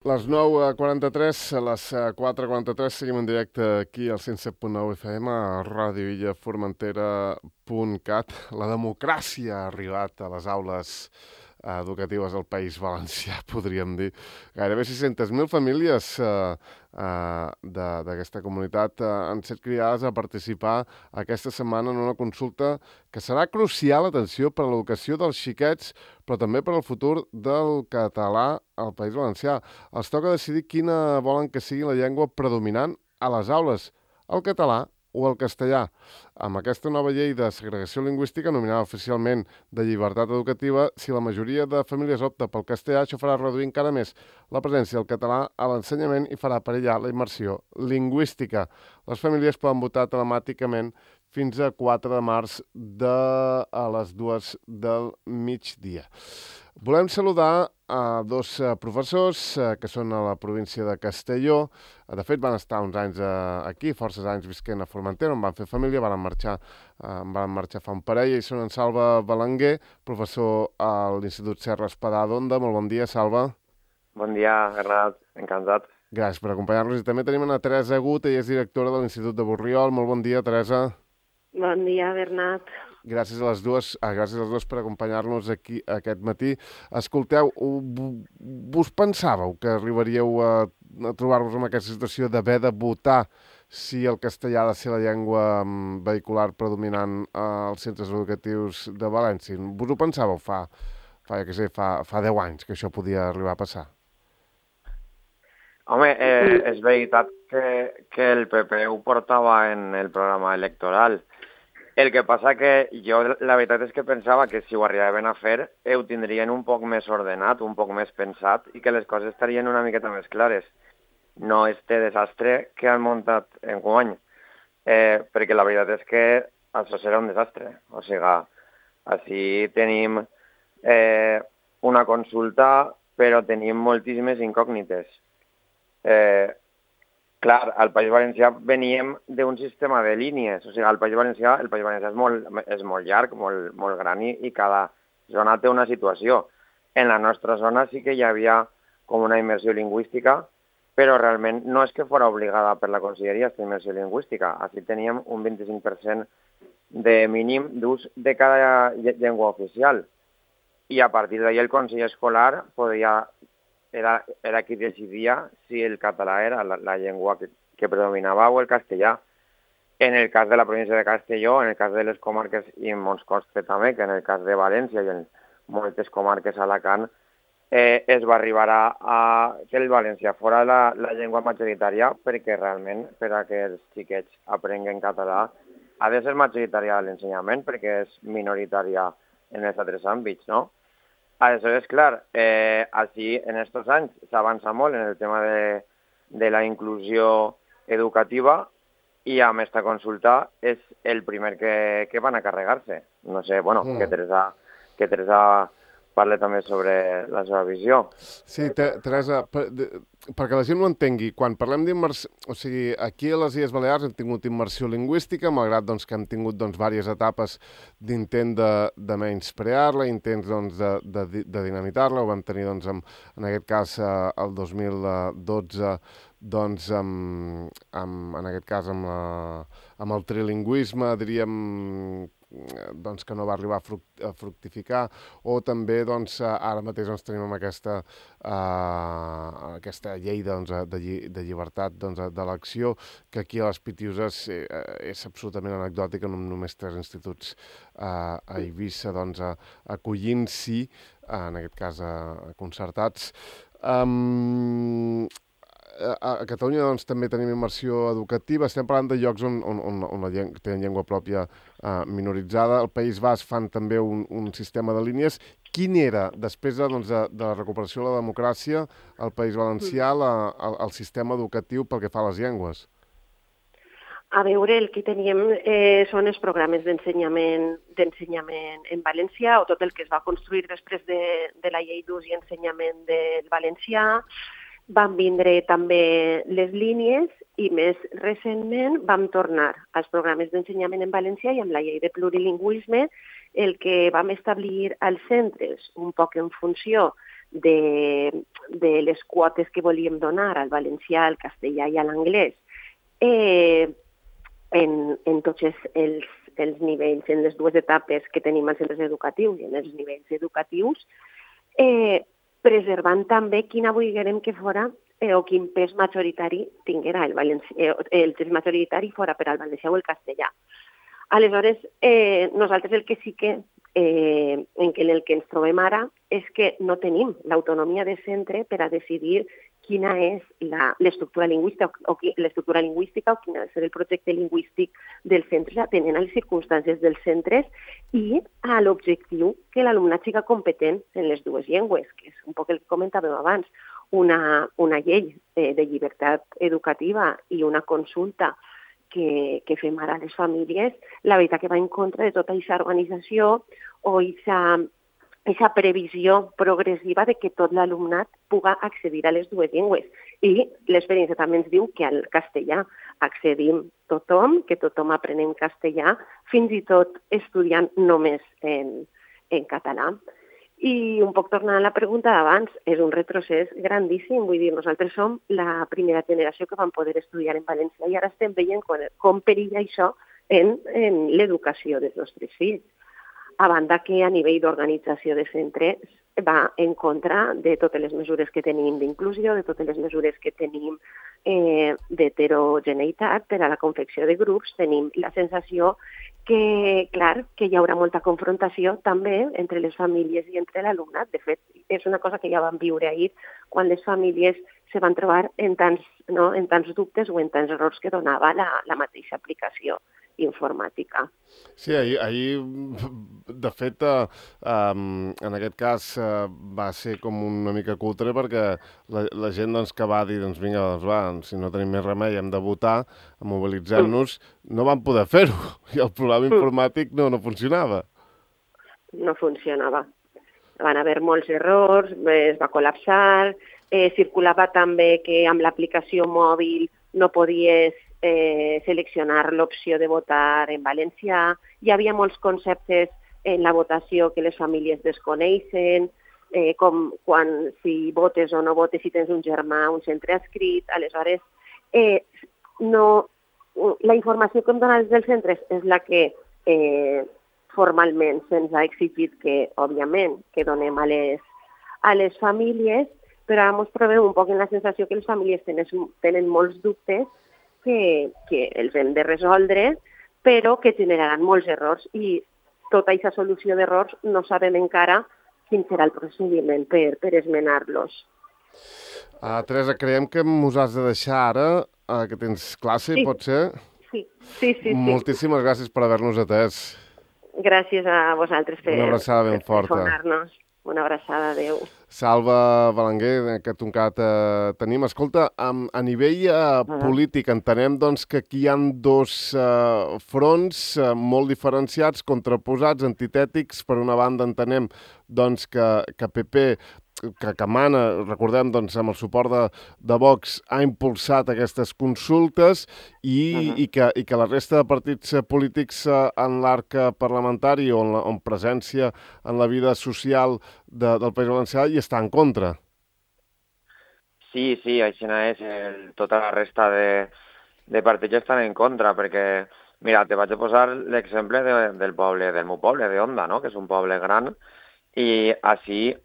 Les 9:43, a les 4:43 seguim en directe aquí al 107.9 FM a radioillaformentera.cat. La democràcia ha arribat a les aules educatives del País Valencià, podríem dir. Gairebé 600.000 famílies d'aquesta comunitat han set cridades a participar aquesta setmana en una consulta que serà crucial, atenció, per a l'educació dels xiquets, però també per al futur del català al País Valencià. Els toca decidir quina volen que sigui la llengua predominant a les aules, el català o el castellà. Amb aquesta nova llei de segregació lingüística, nominada oficialment de llibertat educativa, si la majoria de famílies opta pel castellà, això farà reduir encara més la presència del català a l'ensenyament i farà perillar la immersió lingüística. Les famílies poden votar telemàticament fins a 4 de març a les 2 del migdia. Volem saludar a dos professors que són a la província de Castelló. De fet, van estar uns anys aquí, forces anys visquent a Formentera, on van fer família, van marxar fa un parell, i són en Salva Belenguer, professor a l'Institut Serra Espadà d'Onda. Molt bon dia, Salva. Bon dia, Bernat, encantat. Gràcies per acompanyar-nos. I també tenim a Teresa Agut, ella és directora de l'Institut de Borriol. Molt bon dia, Teresa. Bon dia, Bernat. Gràcies a les dues per acompanyar-nos aquí aquest matí. Escolteu, vos pensàveu que arribaríeu a trobar-vos en aquesta situació d'haver de votar si el castellà ha de ser la llengua vehicular predominant als centres educatius de València? Vos ho pensàveu fa 10 anys que això podia arribar a passar? Home, és veritat que el PP ho portava en el programa electoral. El que passa que jo la veritat és que pensava que si ho arribaven a fer ho tindrien un poc més ordenat, un poc més pensat i que les coses estarien una miqueta més clares. No este desastre que han muntat enguany, perquè la veritat és que això serà un desastre. O sigui, així tenim una consulta, però tenim moltíssimes incògnites. Clar, al País Valencià veníem d'un sistema de línies. O sigui, el País Valencià és molt llarg, molt gran i cada zona té una situació. En la nostra zona sí que hi havia com una immersió lingüística, però realment no és que fos obligada per la conselleria aquesta immersió lingüística. Així teníem un 25% de mínim d'ús de cada llengua oficial. I a partir d'ahir el Consell Escolar era qui decidia si el català era la llengua que predominava o el castellà. En el cas de la província de Castelló, en el cas de les comarques i en molts consta també que en el cas de València i en moltes comarques a Alacant es va arribar a que el valencià fora la llengua majoritària perquè realment per a que els xiquets aprenguen català ha de ser majoritària l'ensenyament perquè és minoritària en els altres àmbits, no? Aleshores, clar, així en aquests anys s'avança molt en el tema de la inclusió educativa i amb aquesta consulta és el primer que van a carregar-se. No sé, bueno, que Teresa parla també sobre la seva visió. Sí, Teresa, perquè la gent ho entengui, quan parlem d'immersió, o sigui, aquí a les Illes Balears hem tingut immersió lingüística, malgrat doncs, que hem tingut diverses etapes d'intent de menysprear-la, intents de dinamitar-la, ho vam tenir en aquest cas el 2012, en aquest cas amb el trilingüisme, diríem, que no va arribar a fructificar, o també ara mateix tenim amb aquesta llei de llibertat d'elecció, que aquí a les Pitiuses és absolutament anecdòtica, amb només 3 instituts a Eivissa acollint-s'hi, en aquest cas concertats. A Catalunya també tenim immersió educativa. Estem parlant de llocs on tenen llengua pròpia minoritzada. Al País Basc fan també un sistema de línies. Quin era, després de la recuperació de la democràcia, al País Valencià el sistema educatiu pel que fa a les llengües? A veure, el que teníem són els programes d'ensenyament en valencià o tot el que es va construir després de la llei d'ús i ensenyament del valencià. Van vindre també les línies i més recentment vam tornar als programes d'ensenyament en valencià i amb la llei de plurilingüisme el que vam establir als centres, un poc en funció de les quotes que volíem donar al valencià, al castellà i a l'anglès en tots els nivells, en les dues etapes que tenim als centres educatius i en els nivells educatius, preservant també quina volguérem que fora o quin pes majoritari tinguera el pes majoritari fora per al valencià o el castellà. Aleshores, nosaltres el que sí que en el que ens trobem ara és que no tenim l'autonomia de centre per a decidir quina és l'estructura lingüística o quin ha de ser el projecte lingüístic dels centres atenent a les circumstàncies dels centres i a l'objectiu que l'alumnat siga competent en les dues llengües, que és un poc el que comentàvem abans, una llei de llibertat educativa i una consulta que fem ara a les famílies, la veritat que va en contra de tota aquesta organització o aquesta previsió progressiva de que tot l'alumnat puga accedir a les dues llengües. I l'experiència també ens diu que al castellà accedim tothom, que tothom aprenem castellà, fins i tot estudiant només en català. I un poc tornant a la pregunta d'abans, és un retrocés grandíssim. Vull dir, nosaltres som la primera generació que vam poder estudiar en valencià i ara estem veient com perilla això en l'educació dels nostres fills. A banda que a nivell d'organització de centres va en contra de totes les mesures que tenim d'inclusió, de totes les mesures que tenim d'heterogeneïtat per a la confecció de grups. Tenim la sensació que, clar, que hi haurà molta confrontació també entre les famílies i entre l'alumnat. De fet, és una cosa que ja vam viure ahir quan les famílies se van trobar en tants dubtes o en tants errors que donava la mateixa aplicació informàtica. Sí, ahir de fet, en aquest cas va ser com una mica cutre perquè la gent que va dir, vinga, si no tenim més remei hem de votar, mobilitzem-nos, no van poder fer-ho i el programa informàtic no funcionava. No funcionava. Van haver molts errors, es va col·lapsar, circulava també que amb l'aplicació mòbil no podies seleccionar l'opció de votar en valencià. Hi havia molts conceptes en la votació que les famílies desconeixen, com si votes o no votes, si tens un germà, un centre adscrit. Aleshores, la informació que hem donat dels centres és la que formalment se'ns ha exigit que, òbviament, que donem a les famílies, però ara ens trobem un poc en la sensació que les famílies tenen molts dubtes que els hem de resoldre, però que generaran molts errors i tota aquesta solució d'errors no sabem encara quin serà el procediment per esmenar-los. Teresa, creiem que mos has de deixar ara, que tens classe, sí. Pot ser? Sí. Moltíssimes gràcies per haver-nos atès. Gràcies a vosaltres per telefonar-nos. Una abraçada, adeu. Salva Belenguer, que toncat tenim. Escolta, a nivell polític entenem que aquí hi ha dos fronts molt diferenciats, contraposats, antitètics. Per una banda entenem que PP, que mana, recordem, amb el suport de Vox, ha impulsat aquestes consultes i que la resta de partits polítics en l'arc parlamentari o en presència en la vida social del País Valencià hi està en contra. Sí, així és. Tota la resta de partits estan en contra, perquè, mira, te vaig a posar l'exemple del meu poble, d'Onda, no?, que és un poble gran, i així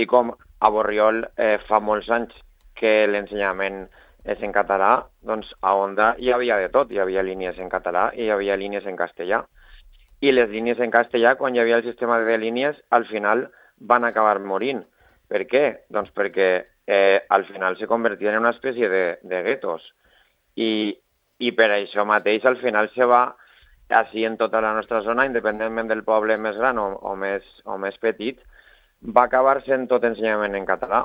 com a Borriol fa molts anys que l'ensenyament és en català, doncs a Onda hi havia de tot. Hi havia línies en català i hi havia línies en castellà. I les línies en castellà, quan hi havia el sistema de línies, al final van acabar morint. Per què? Doncs perquè al final se convertien en una espècie de guetos. I per això mateix al final se va, així en tota la nostra zona, independentment del poble més gran o més petit, va acabar sent tot ensenyament en català,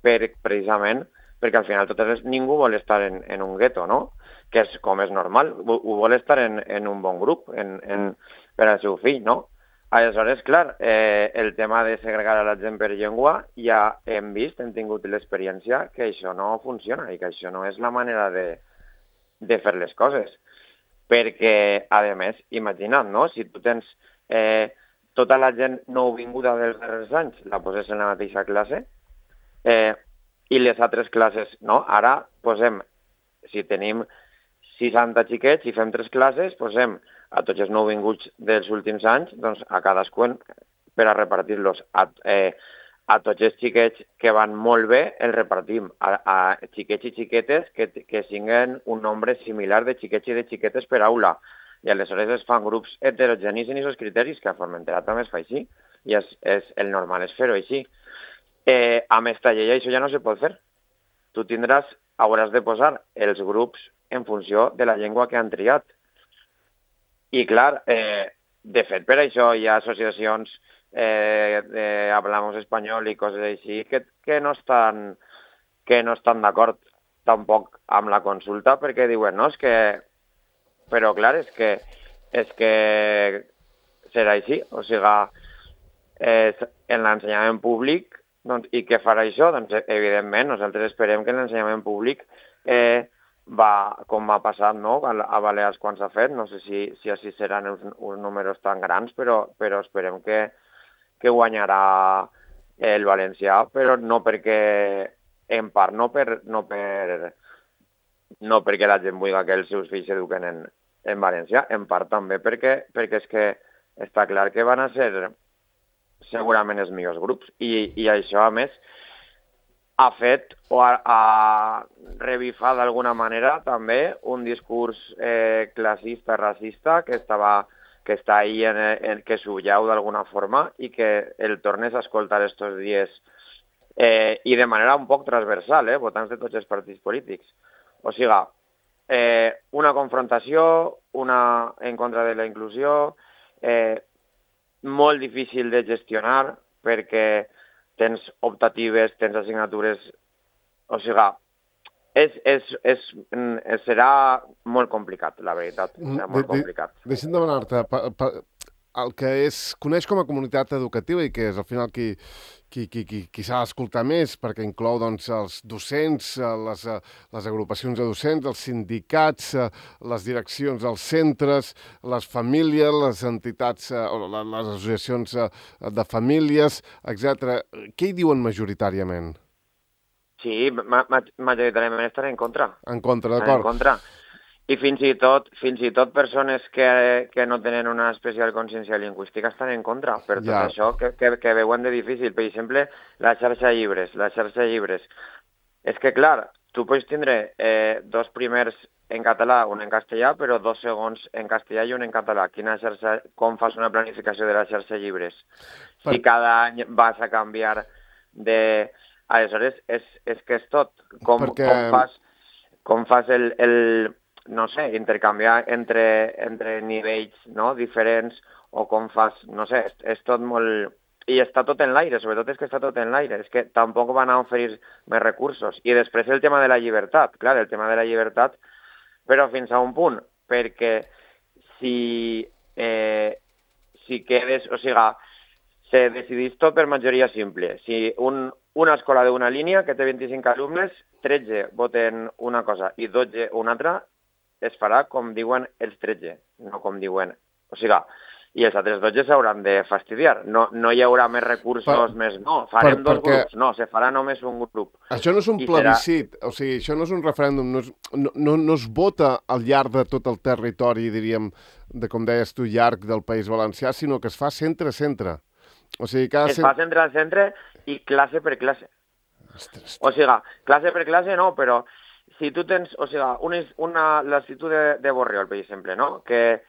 precisament perquè al final ningú vol estar en un gueto, no?, que és com és normal, ho vol estar en un bon grup per al seu fill, no? Aleshores, clar, el tema de segregar a la gent per llengua ja hem tingut l'experiència que això no funciona i que això no és la manera de fer les coses. Perquè, a més, imagina't, no?, si tu tens tota la gent nouvinguda dels darrers anys la poses en la mateixa classe, I les altres classes, no? Ara posem, si tenim 60 xiquets i fem 3 classes, posem a tots els nouvinguts dels últims anys, doncs a cadascun per a repartir-los. A tots els xiquets que van molt bé els repartim. A xiquets i xiquetes que siguin un nombre similar de xiquets i de xiquetes per aula. I aleshores es fan grups heterogenis en aquests criteris, que a Formentera també es fa així. I el normal és fer-ho així. Amb esta llei això ja no se pot fer. Tu hauràs de posar els grups en funció de la llengua que han triat. I clar, de fet, per això hi ha associacions de Hablamos Español i coses així que no estan d'acord tampoc amb la consulta perquè diuen, no, és que... Però clar, és que serà així, o sigui, en l'ensenyament públic, doncs, i què farà això? Doncs, evidentment, nosaltres esperem que l'ensenyament públic com va passar, no? A Balears quan s'ha fet, no sé si així seran uns números tan grans, però esperem que guanyarà el valencià, però no perquè, en part, no perquè la gent vulgui que els seus fills s'eduquen en valencià, en part també perquè és que està clar que van a ser segurament els millors grups i això, a més, ha fet o ha revifat d'alguna manera també un discurs classista, racista, que està ahí, que s'ullau d'alguna forma i que el tornes a escoltar estos dies i de manera un poc transversal, votants de tots els partits polítics. O sigui, una confrontació, una en contra de la inclusió, molt difícil de gestionar perquè tens optatives, tens assignatures... O sigui, serà molt complicat, la veritat. Serà molt complicat. Deixa'm demanar-te, el que coneix com a comunitat educativa i que és al final qui s'ha d'escoltar més, perquè inclou doncs, els docents, les agrupacions de docents, els sindicats, les direccions dels centres, les famílies, les entitats, les associacions de famílies, etc. Què hi diuen majoritàriament? Sí, majoritàriament estan en contra. En contra, d'acord. En contra. I fins i tot persones que no tenen una especial consciència lingüística estan en contra per tot això que veuen de difícil. Per exemple, la xarxa de llibres. És que, clar, tu pots tindre 2 primers en català, un en castellà, però 2 segons en castellà i un en català. Com fas una planificació de la xarxa de llibres? Si cada any vas a canviar de... Aleshores, és que és tot. Com fas el no sé, intercanviar entre nivells, no?, diferents, o com fas, no sé, és tot molt... I està tot en l'aire, sobretot és que està tot en l'aire, és que tampoc van a oferir més recursos. I després el tema de la llibertat, clar, el tema de la llibertat, però fins a un punt, perquè si quedes, o sigui, se decidís tot per majoria simple. Si una escola d'una línia que té 25 alumnes, 13 voten una cosa i 12 una altra, es farà com diuen els 13, no com diuen... O sigui, i els altres 12 s'hauran de fastidiar. No hi haurà més recursos, farem 2 grups. No, se farà només un grup. Això no és un plebiscit, o sigui, això no és un referèndum, no es vota al llarg de tot el territori, diríem, com deies tu, llarg del País Valencià, sinó que es fa centre a centre. O sigui, es fa centre a centre i classe per classe. Ostres. O sigui, classe per classe no, però si tu tens, o sigui, l'Institut de Borriol, per exemple, no?, que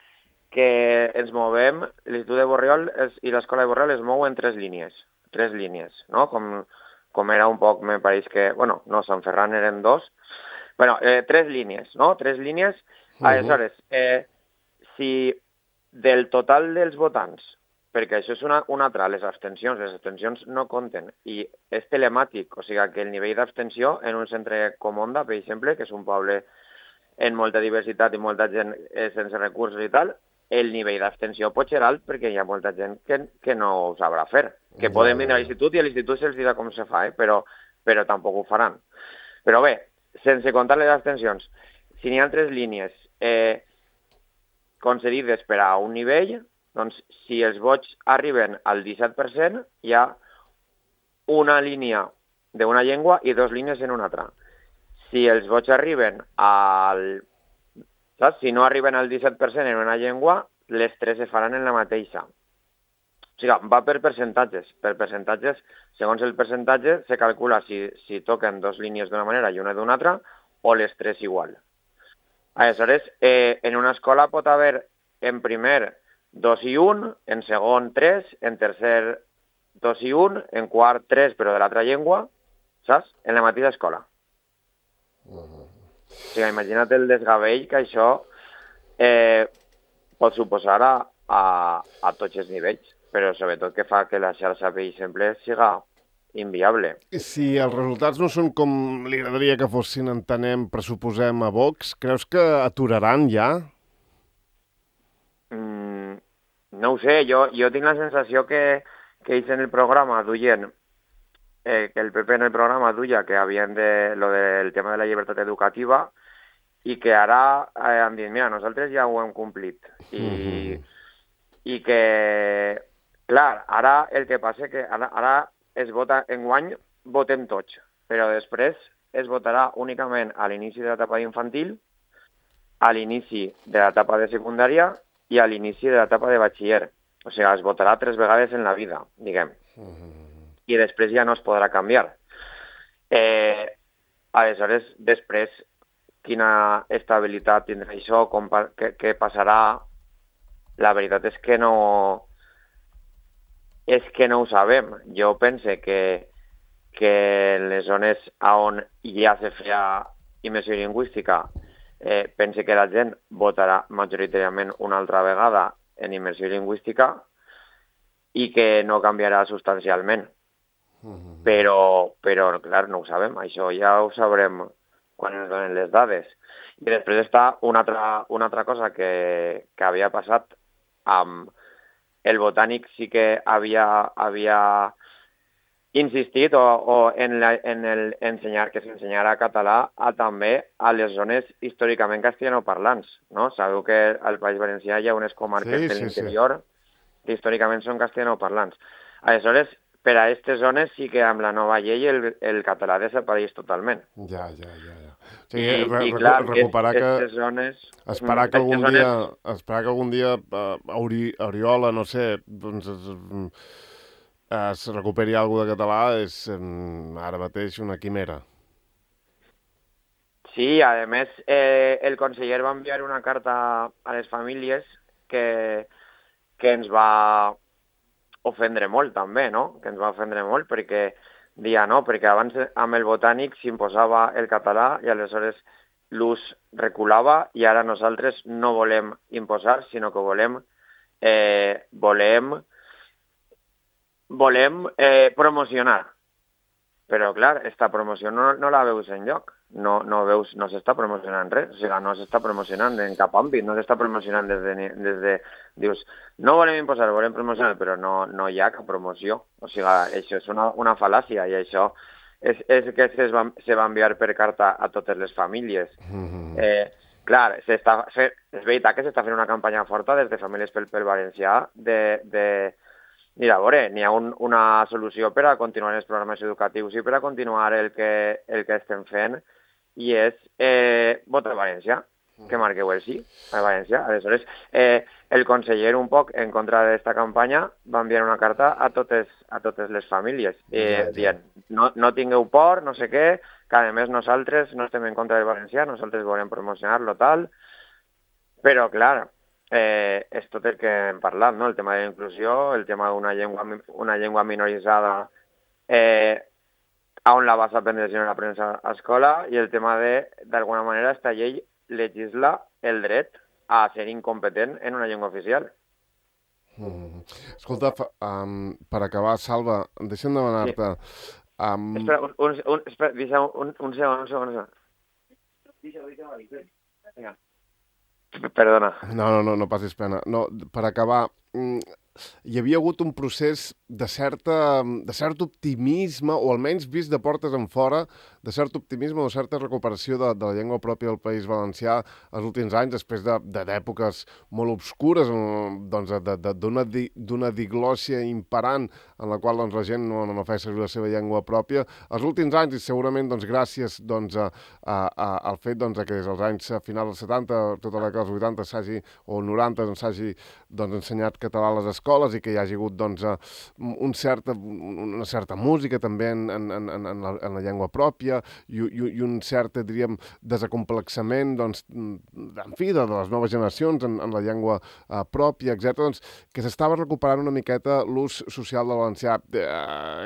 ens movem, l'Institut de Borriol i l'Escola de Borriol es mouen 3 línies, no?, com era un poc, me pareix que, bueno, no, Sant Ferran eren 2, bueno, 3 línies, no?, 3 línies, aleshores, si del total dels votants, perquè això és una altra, les abstencions no compten, i és telemàtic, o sigui que el nivell d'abstenció en un centre com Onda, per exemple, que és un poble en molta diversitat i molta gent sense recursos i tal, el nivell d'abstenció pot ser alt perquè hi ha molta gent que no ho sabrà fer, que poden venir a l'institut i a l'institut se'ls dirà com se fa, però tampoc ho faran. Però bé, sense comptar les abstencions, si n'hi ha 3 línies concedides per a un nivell, doncs si els vots arriben al 17%, hi ha una línia d'una llengua i 2 línies en una altra. Si els vots arriben al... Saps? Si no arriben al 17% en una llengua, les 3 se faran en la mateixa. O sigui, va per percentatges. Per percentatges, segons el percentatge, se calcula si toquen 2 línies d'una manera i una d'una altra, o les 3 igual. Aleshores, en una escola pot haver en primer 2 i 1, en segon 3, en tercer 2 i 1, en quart 3, però de l'altra llengua, saps? En la mateixa escola. O sigui, imagina't el desgavell que això pot suposar a tots els nivells, però sobretot que fa que la xarxa per exemple siga inviable. Si els resultats no són com li agradaria que fossin, entenem, pressuposem a Vox, creus que aturaran ja? No ho sé, jo tinc la sensació que ells en el programa duien, que el PP en el programa duia que havien de lo del tema de la llibertat educativa i que ara han dit, mira, nosaltres ja ho hem complit. I que, clar, ara el que passa és que ara es vota enguany, votem tots, però després es votarà únicament a l'inici de l'etapa infantil, a l'inici de l'etapa de secundària i a l'inici de l'etapa de batxiller. O sigui, es votarà 3 vegades en la vida, diguem. I després ja no es podrà canviar. Aleshores, després, quina estabilitat tindrà això, què passarà? La veritat és que no ho sabem. Jo pense que en les zones on ja se feia immersió lingüística, pense que la gent votarà majoritàriament una altra vegada en immersió lingüística i que no canviarà substancialment. Però, clar, no ho sabem. Això ja ho sabrem quan ens donen les dades. I després està una altra cosa que havia passat amb el Botànic, sí que havia insistit en ensenyar que s'ensenyarà català també a les zones històricament castellanoparlants, no? Sabeu que al País Valencià hi ha unes comarques de l'interior que històricament són castellanoparlants. Aleshores, per a aquestes zones sí que amb la nova llei el català desapareix totalment. Ja. O sigui, recuperar que... zones... Esperar que algun dia Oriola, no sé, doncs es recuperi alguna de català és ara mateix una quimera. Sí, a més, el conseller va enviar una carta a les famílies que ens va ofendre molt també, no? Que ens va ofendre molt perquè dia no, perquè abans amb el Botànic s'imposava el català i aleshores l'ús reculava i ara nosaltres no volem imposar, sinó que volem promocionar. Però, clar, aquesta promoció no la veus enlloc. No s'està promocionant res. O sigui, no s'està promocionant en cap àmbit. No s'està promocionant des de... Dius, no volem imposar, volem promocionar, però no hi ha cap promoció. O sigui, això és una fal·làcia i això és que se va enviar per carta a totes les famílies. Clar, és veritat que s'està fent una campanya forta des de Famílies pel Valencià mira, a veure, n'hi ha una solució per a continuar els programes educatius i per a continuar el que estem fent i és votar a València, que marqueu el sí a València. Aleshores, el conseller un poc en contra d'aquesta campanya va enviar una carta a totes les famílies dient no tingueu por, no sé què, que a més nosaltres no estem en contra del valencià, nosaltres volem promocionar-lo tal, però clar, és tot el que hem parlat, no? El tema de la inclusió, el tema d'una llengua minoritzada on la vas aprendre si no l'aprens a escola i el tema d'alguna manera, esta llei legisla el dret a ser incompetent en una llengua oficial. Escolta, per acabar, Salva, deixa'm demanar-te... Espera, deixa un segon. Vinga. Perdona. No passis pena. No, per acabar, hi havia hagut un procés de cert optimisme, o almenys vist de portes en fora, de cert optimisme o certa recuperació de la llengua pròpia del País Valencià els últims anys, després d'èpoques molt obscures, doncs, d'una diglòssia imperant en la qual doncs, la gent no feia servir la seva llengua pròpia. Els últims anys, i segurament doncs, gràcies doncs, al fet doncs, que des dels anys finals dels 70, tota la década dels 80 o 90 s'hagi doncs, ensenyat català a les escoles i que hi hagi hagut doncs, una certa música també en la llengua pròpia i un cert, diríem, desacomplexament doncs, en fi, de les noves generacions en la llengua pròpia, etc. Doncs, que s'estava recuperant una miqueta l'ús social del valencià.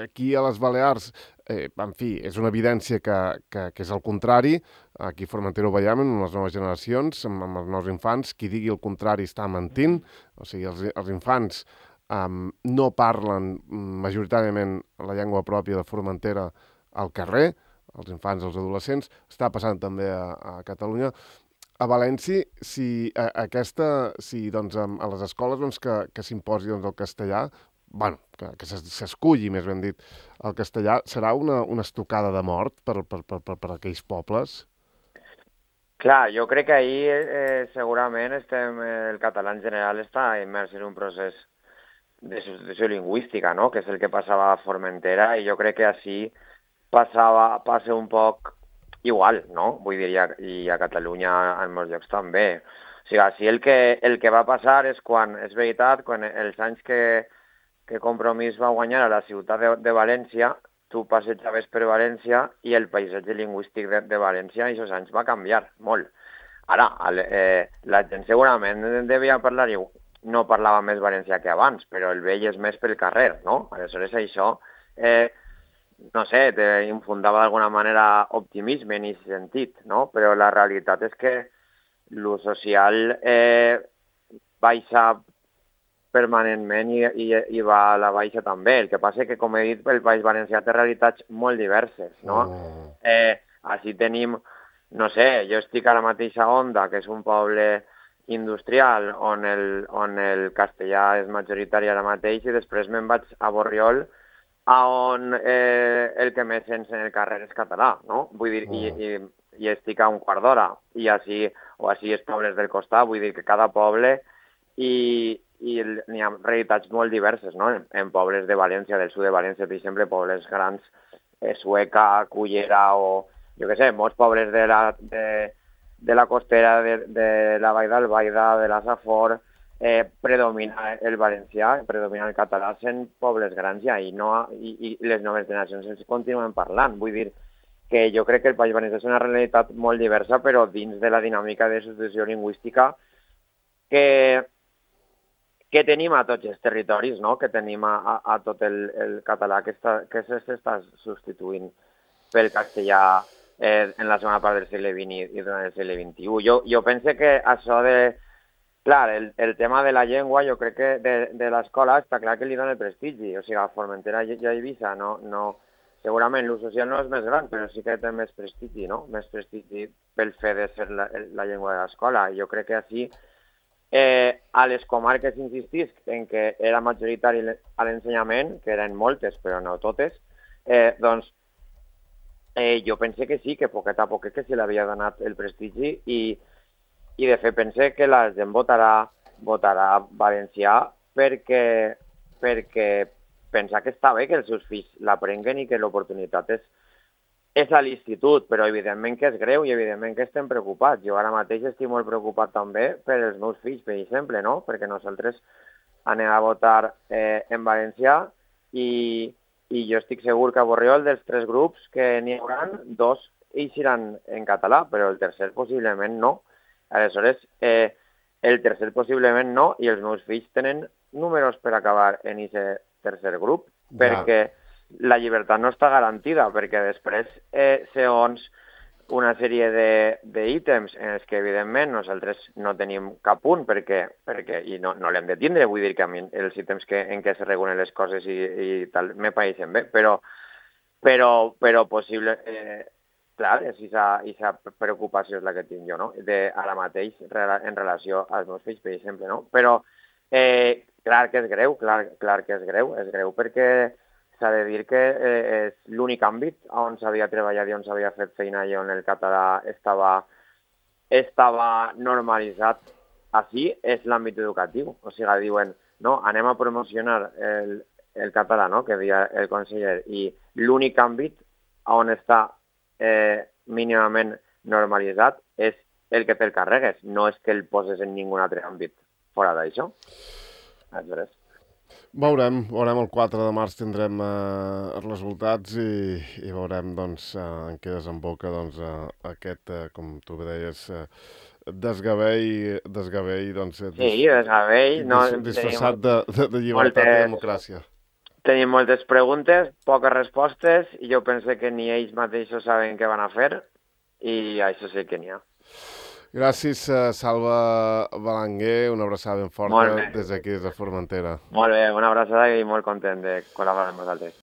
Aquí a les Balears, en fi, és una evidència que és el contrari. Aquí a Formentera ho veiem en les noves generacions, amb els nous infants. Qui digui el contrari està mentint. O sigui, els infants no parlen majoritàriament la llengua pròpia de Formentera al carrer, els infants, els adolescents. Està passant també a Catalunya. A València, doncs, a les escoles doncs, que s'imposi doncs, el castellà, bueno, que s'esculli, més ben dit, el castellà, serà una estocada de mort per aquells pobles? Clar, jo crec que ahir segurament el català en general està immers en un procés de substitució lingüística, no? Que és el que passava a Formentera, i jo crec que així passa un poc igual, no? Vull dir, i a Catalunya en molts llocs també. O sigui, així el que va passar és quan, és veritat, quan els anys que Compromís va guanyar a la ciutat de València, tu passejaves per València i el paisatge lingüístic de València i aquests anys va canviar molt. Ara, la gent segurament devia parlar, no parlava més valencià que abans, però el veies més pel carrer, no? Aleshores això, no sé, infundava d'alguna manera optimisme en aquest sentit, no? Però la realitat és que l'ús social baixa permanentment i va a la baixa també. El que passa és que, com he dit, el País Valencià té realitats molt diverses, no? Així tenim, no sé, jo estic a la mateixa Onda, que és un poble industrial on el castellà és majoritari ara mateix, i després me'n vaig a Borriol, on el que més sents en el carrer és català, no? Vull dir, i estic a un quart d'hora, i així els pobles del costat, vull dir que cada poble i n'hi ha realitats molt diverses, no? En pobles de València, del sud de València, per exemple, pobles grans, Sueca, Cullera o, jo què sé, molts pobles de la costera, de la Vall d'Albaida, de la Safor, predomina el valencià, predomina el català, sent pobles grans ja, i les noves generacions ens continuen parlant. Vull dir que jo crec que el País Valencià és una realitat molt diversa, però dins de la dinàmica de substitució lingüística que tenim a tots els territoris, no? Que tenim a tot el català que s'està substituint pel castellà en la segona part del segle XX i durant el segle XXI. Jo penso que això clar, el tema de la llengua, jo crec que de l'escola està clar que li dona el prestigi. O sigui, a Formentera i a Eivissa segurament l'ús social no és més gran, però sí que té més prestigi, no? Més prestigi pel fet de ser la llengua de l'escola. Jo crec que així a les comarques insistís en que era majoritari a l'ensenyament, que eren moltes però no totes, doncs jo pense que sí, que poquet a poquet que se l'havia donat el prestigi i de fet pense que la gent votarà valencià perquè pensa que està bé que els seus fills l'aprenguen i que l'oportunitat és a l'institut, però evidentment que és greu i evidentment que estem preocupats. Jo ara mateix estic molt preocupat també per els meus fills, per exemple, no? Perquè nosaltres anem a votar en valencià i jo estic segur que a Borriol dels 3 grups que n'hi haurà, 2 eixiran en català, però el tercer possiblement no. Aleshores, el tercer possiblement no, i els meus fills tenen números per acabar en aquest tercer grup, perquè la llibertat no està garantida, perquè després, segons una sèrie d'ítems en els que, evidentment, nosaltres no tenim cap punt, i no l'hem de tindre, vull dir que a mi els ítems en què es regulen les coses i tal me pareixen bé, però possible, clar, aquesta preocupació és la que tinc jo, no? Ara mateix, en relació als meus fills, per exemple, no? Però Clar que és greu, clar que és greu perquè s'ha de dir que és l'únic àmbit on s'havia treballat i on s'havia fet feina i on el català estava normalitzat així, és l'àmbit educatiu. O sigui, diuen, no, anem a promocionar el català, no?, que deia el conseller, i l'únic àmbit on està mínimament normalitzat és el que te'l carregues, no és que el poses en ningun altre àmbit fora d'això. Veurem el 4 de març tindrem els resultats i veurem doncs, en què desemboca doncs, aquest, com tu bé deies, desgavell doncs, desgavell. Disfressat de llibertat i democràcia. Tenim moltes preguntes, poques respostes, i jo penso que ni ells mateixos saben què van a fer, i això sí que n'hi ha. Gràcies, Salva Belenguer, una abraçada ben forta des d'aquí, des de Formentera. Molt bé, una abraçada i molt content de col·laborar amb vosaltres.